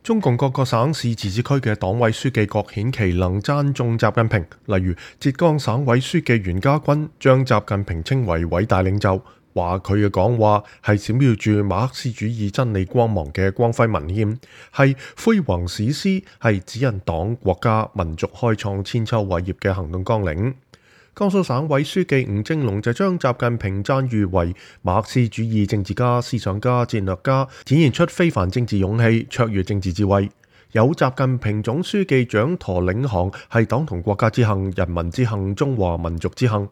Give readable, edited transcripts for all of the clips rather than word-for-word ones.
中共各個省市自治區嘅黨委書記各顯其能讚頌習近平，例如浙江省委書記袁家軍將習近平稱為偉大領袖，話佢嘅講話係閃耀住馬克思主義真理光芒嘅光輝文獻，係輝煌史詩，係指引黨、國家、民族開創千秋偉業嘅行動綱領。江蘇省委書記吳政隆就將習近平讚譽為馬克思主義政治家、思想家、戰略家，展現出非凡政治勇氣、卓越政治智慧。有習近平總書記掌舵領航，係黨同國家之幸、人民之幸、中華民族之幸。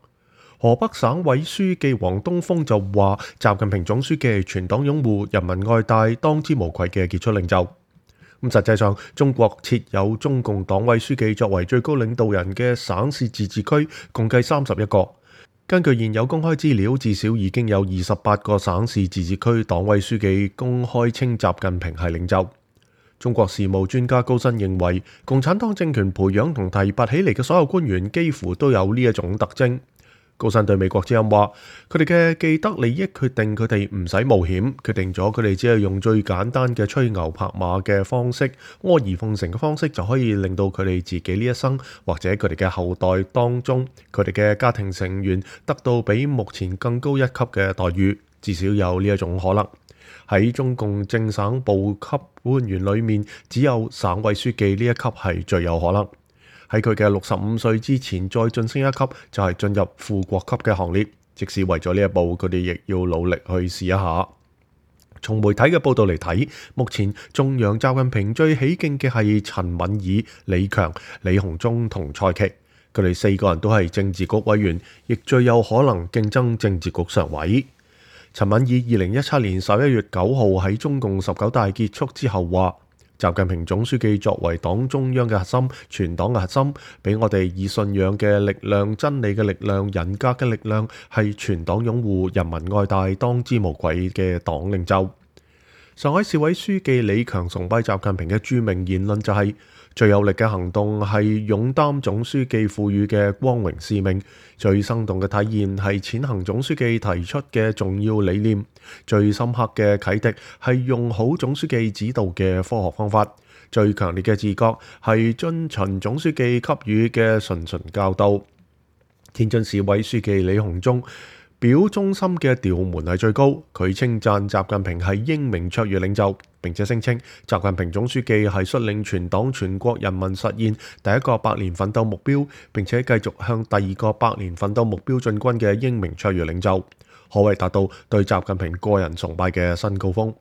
河北省委書記王東峰就話：習近平總書記係全黨擁護、人民愛戴、當之無愧嘅傑出領袖。實際上，中國設有中共黨委書記作為最高領導人嘅省市自治區，共計31個。根據現有公開資料，至少已經有28個省市自治區黨委書記公開稱習近平係領袖。中國事務專家高新認為，共產黨政權培養同提拔起嚟嘅所有官員幾乎都有呢一種特徵。高新對美國之音話：佢哋嘅既得利益決定佢哋唔使冒險，決定咗佢哋只係用最簡單嘅吹牛拍馬嘅方式、阿諛奉承嘅方式，就可以令到佢哋自己呢一生或者佢哋嘅後代當中，佢哋嘅家庭成員得到比目前更高一級嘅待遇，至少有呢一種可能。喺中共正省部級官員裏面，只有省委書記呢一級係最有可能。喺佢嘅65歲之前再晉升一級，就係進入副國級嘅行列。即使為咗呢一步，佢哋亦要努力去試一下。從媒體嘅報道嚟睇，目前頌揚習近平最起勁嘅係陳敏爾、李強、李鴻忠同蔡奇。佢哋4個人都係政治局委員，亦最有可能競爭政治局常委。陳敏爾2017年11月9號喺中共19大結束之後話：習近平總書記作為黨中央嘅核心、全黨嘅核心，俾我哋以信仰嘅力量、真理嘅力量、人格嘅力量，係全黨擁護、人民愛戴、當之無愧嘅黨領袖。上海市委書記李強崇拜習近平嘅著名言論就係：最有力嘅行動係勇擔總書記賦予嘅光榮使命，最生動嘅體現係踐行總書記提出嘅重要理念，最深刻嘅啟迪係用好總書記指導嘅科學方法，最強烈嘅自覺係遵循總書記給予嘅循教導。天津市委書記李鴻忠表忠心嘅調門係最高，佢稱讚習近平係英明卓越領袖，並且聲稱習近平總書記係率領全黨全國人民實現第一個百年奮鬥目標，並且繼續向第二個百年奮鬥目標進軍嘅英明卓越領袖，可謂達到對習近平個人崇拜嘅新高峰。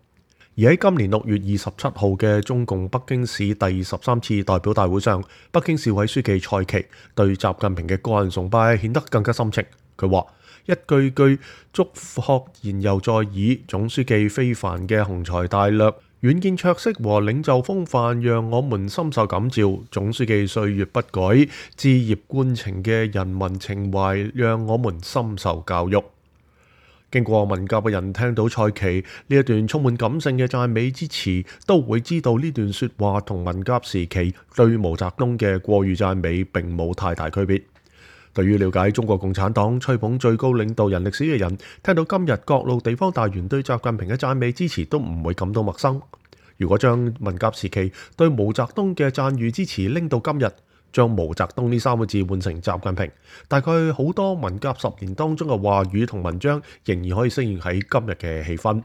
而喺今年6月27號嘅中共北京市第13次代表大會上，北京市委書記蔡奇對習近平嘅個人崇拜顯得更加深情。佢話：一句句祝賀言猶在耳，總書記非凡嘅雄才大略、遠見卓識和領袖風範，讓我們深受感召。總書記歲月不改、枝葉貫情嘅人民情懷，讓我們深受教育。經過文革嘅人聽到蔡奇呢一段充滿感性嘅讚美之詞，都會知道呢段說話同文革時期對毛澤東嘅過譽讚美並冇太大區別。對於了解中國共產黨吹捧最高領導人歷史嘅人，聽到今日各路地方大員對習近平嘅讚美之詞，都唔會感到陌生。如果將文革時期對毛澤東嘅讚譽之詞拎到今日，將毛澤東呢3個字換成習近平，大概好多文革10年當中嘅話語同文章，仍然可以適應喺今日嘅氣氛。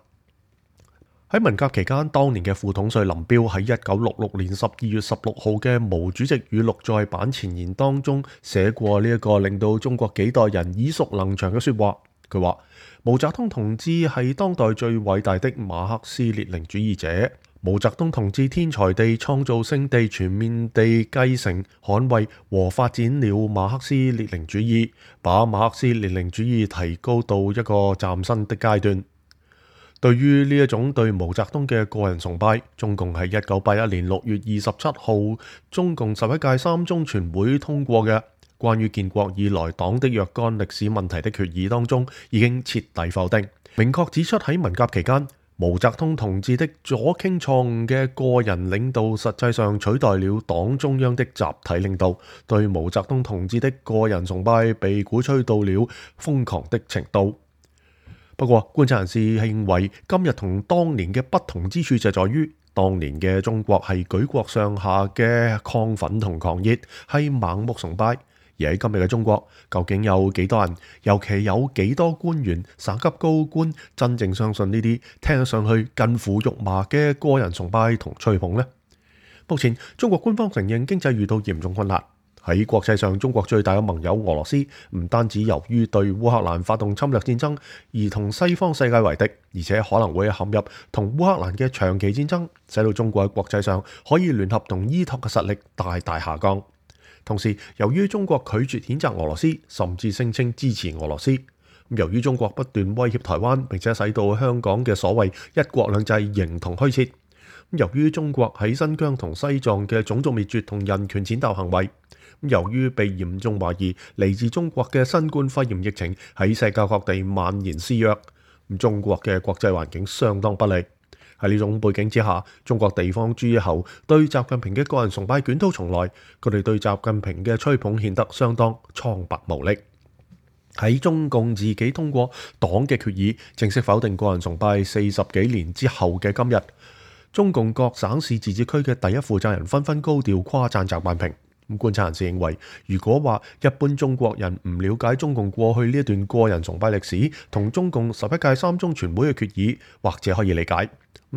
喺文革期間，當年嘅副統帥林彪喺1966年12月16號嘅毛主席語錄在版前言當中寫過呢一個令到中國幾代人耳熟能詳嘅說話。佢話：毛澤東同志係當代最偉大的馬克思列寧主義者。毛澤東同志天才地、創造性地、全面地繼承、捍衛和發展了馬克思列寧主義，把馬克思列寧主義提高到一個嶄新的階段。對於呢一種對毛澤東嘅個人崇拜，中共喺1981年6月27號中共11屆3中全會通過嘅關於建國以來黨的若干歷史問題的決議當中，已經徹底否定，明確指出喺文革期間，毛澤東同志的左傾錯誤嘅個人領導，實際上取代了黨中央的集體領導，對毛澤東同志的個人崇拜被鼓吹到了瘋狂的程度。不過，觀察人士認為，今日同當年嘅不同之處就在於，當年嘅中國係舉國上下嘅亢奮同狂熱，係盲目崇拜。而喺今日嘅中國，究竟有幾多人，尤其有幾多官員、省級高官真正相信呢啲聽上去近乎肉麻嘅個人崇拜同吹捧呢？目前中國官方承認經濟遇到嚴重困難。喺國際上，中國最大嘅盟友俄羅斯唔單止由於對烏克蘭發動侵略戰爭而同西方世界為敵，而且可能會陷入同烏克蘭嘅長期戰爭，使到中國喺國際上可以聯合同依託嘅實力大大下降。同時，由於中國拒絕譴責俄羅斯，甚至聲稱支持俄羅斯，由於中國不斷威脅台灣，並且使到香港嘅所謂一國兩制形同虛設。由於中國喺新疆同西藏嘅種族滅絕同人權踐踏行為，由於被嚴重懷疑嚟自中國嘅新冠肺炎疫情喺世界各地蔓延肆虐，中國嘅國際環境相當不利。喺呢種背景之下，中國地方諸侯對習近平嘅個人崇拜捲土重來，佢哋對習近平嘅吹捧顯得相當蒼白無力。喺中共自己通過黨嘅決議，正式否定個人崇拜40幾年之後嘅今日，中共各省市自治區嘅第一負責人紛紛高調誇讚習近平。觀察人士認為，如果話一般中國人唔了解中共過去呢一段個人崇拜歷史同中共11屆三中全會嘅決議，或者可以理解。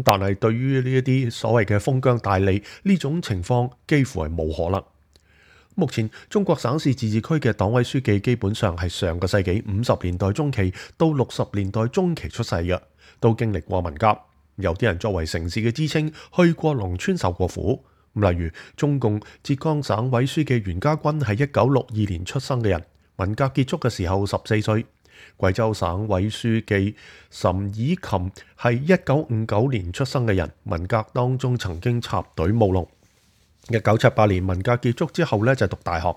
但係對於呢一啲所謂嘅封疆大吏，呢種情況幾乎係冇可能。目前中國省市自治區嘅黨委書記基本上係上個世紀50年代中期到60年代中期出世嘅，都經歷過文革。有啲人作為城市嘅知青，去過農村受過苦。例如中共浙江省委書記袁家軍係1962年出生嘅人，文革結束嘅時候14歲。貴州省委書記岑以琴係1959年出生嘅人，文革當中曾經插隊務農。1978年文革結束之後就讀大學。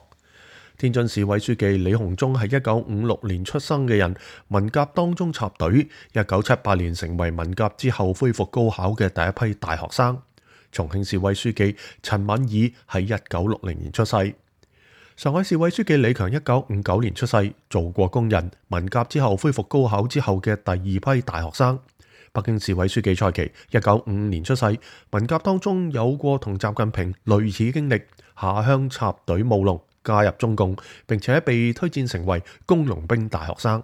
天津市委書記李鴻忠係1956年出生嘅人，文革當中插隊，1978年成為文革之後恢復高考嘅第一批大學生。重慶市委書記陳敏爾係1960年出世。上海市委書記李強1959年出世，做過工人，文革之後恢復高考之後嘅第二批大學生。北京市委書記蔡奇1955年出世，文革當中有過同習近平類似經歷，下鄉插隊務農，加入中共，並且被推薦成為工農兵大學生。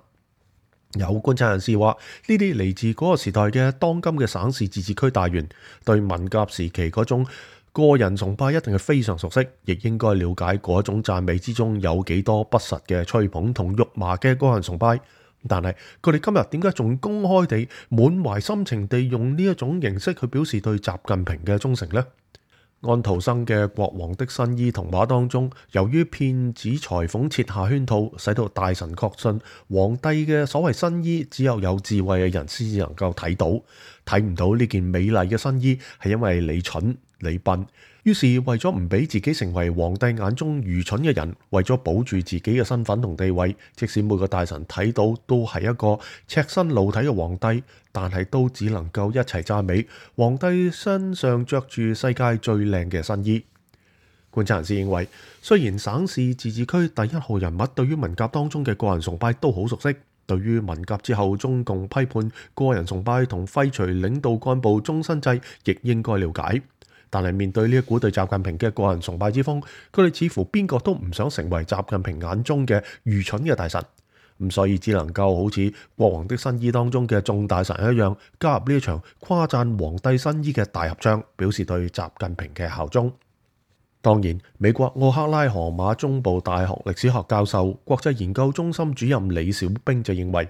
有觀察人士話，呢啲嚟自嗰個時代嘅當今嘅省市自治區大員，對文革時期嗰種個人崇拜一定係非常熟悉，亦應該了解嗰種讚美之中有幾多不實嘅吹捧同肉麻嘅個人崇拜。但係佢哋今日點解仲公開地滿懷深情地用呢一種形式去表示對習近平嘅忠誠呢？安徒生嘅《國王的新衣》童話當中，由於騙子裁縫設下圈套，使到大臣確信皇帝嘅所謂新衣只有智慧嘅人先至能夠睇到，睇唔到呢件美麗嘅新衣係因為你蠢你笨。於是為咗唔俾自己成為皇帝眼中愚蠢嘅人，為咗保住自己嘅身份同地位，即使每個大臣睇到都係一個赤身露體嘅皇帝，但係都只能夠一齊讚美皇帝身上着住世界最靚嘅新衣。觀察人士認為，雖然省市自治區第一號人物對於文革當中嘅個人崇拜都好熟悉，對於文革之後中共批判個人崇拜同廢除領導幹部終身制亦應該了解。但係面對呢一股對習近平嘅個人崇拜之風，佢哋似乎邊個都唔想成為習近平眼中嘅愚蠢嘅大臣，所以只能夠好似《國王的新衣》當中嘅眾大臣一樣，加入呢一場誇讚皇帝新衣嘅大合唱，表示對習近平嘅效忠。當然，美國奧克拉荷馬中部大學歷史學教授、國際研究中心主任李小兵就認為，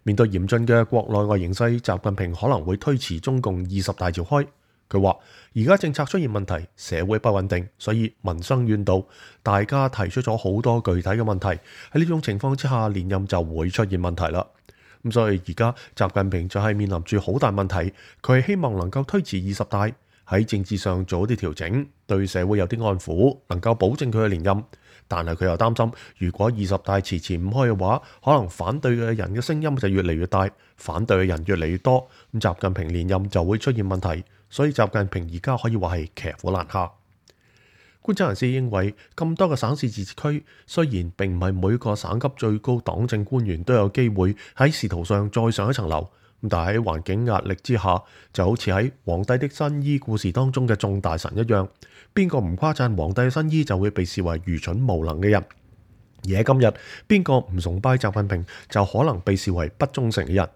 面對嚴峻嘅國內外形勢，習近平可能會推遲中共20大召開。佢話：而家政策出現問題，社會不穩定，所以民生怨妒，大家提出咗好多具體嘅問題。喺呢種情況之下，連任就會出現問題啦。所以而家習近平就係面臨住好大問題，佢係希望能夠推遲20大，喺政治上做啲調整，對社會有啲安撫，能夠保證佢嘅連任。但係佢又擔心，如果20大遲遲唔開嘅話，可能反對嘅人嘅聲音就越嚟越大，反對嘅人越嚟越多，習近平連任就會出現問題。所以習近平而家可以話係騎虎難下。觀察人士認為，咁多個省市自治區，雖然並唔係每個省級最高黨政官員都有機會喺仕途上再上一層樓，但係喺環境壓力之下，就好似喺《皇帝的新衣》故事當中嘅眾大臣一樣，邊個唔誇讚皇帝嘅新衣就會被視為愚蠢無能嘅人。而喺今日，邊個唔崇拜習近平就可能被視為不忠誠嘅人。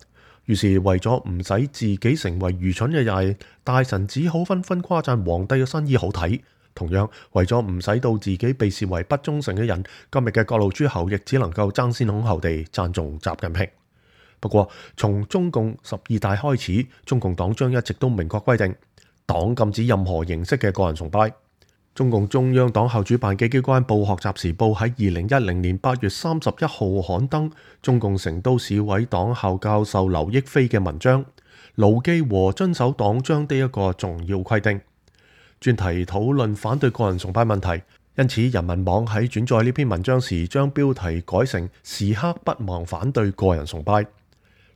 於是為咗唔使自己成為愚蠢嘅人，大臣只好紛紛誇讚皇帝嘅新衣好睇。同樣為咗唔使到自己被視為不忠誠嘅人，今日嘅各路諸侯亦只能夠爭先恐後地讚頌習近平。不過，從中共12大開始，中共黨章一直都明確規定，黨禁止任何形式嘅個人崇拜。中共中央黨校主辦嘅機關報《學習時報》喺2010年8月31號刊登中共成都市委黨校教授劉益飛嘅文章《牢記和遵守黨章的一個重要規定》，專題討論反對個人崇拜問題。因此，人民網喺轉載呢篇文章時，將標題改成時刻不忘反對個人崇拜。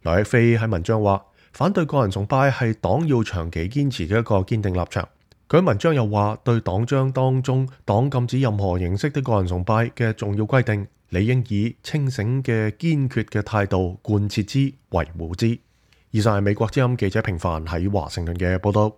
劉益飛喺文章話，反對個人崇拜係黨要長期堅持嘅一個堅定立場。佢喺文章又話，對黨章當中黨禁止任何形式的個人崇拜嘅重要規定，理應以清醒嘅堅決嘅態度貫徹之、維護之。以上係美國之音記者平凡喺華盛頓嘅報道。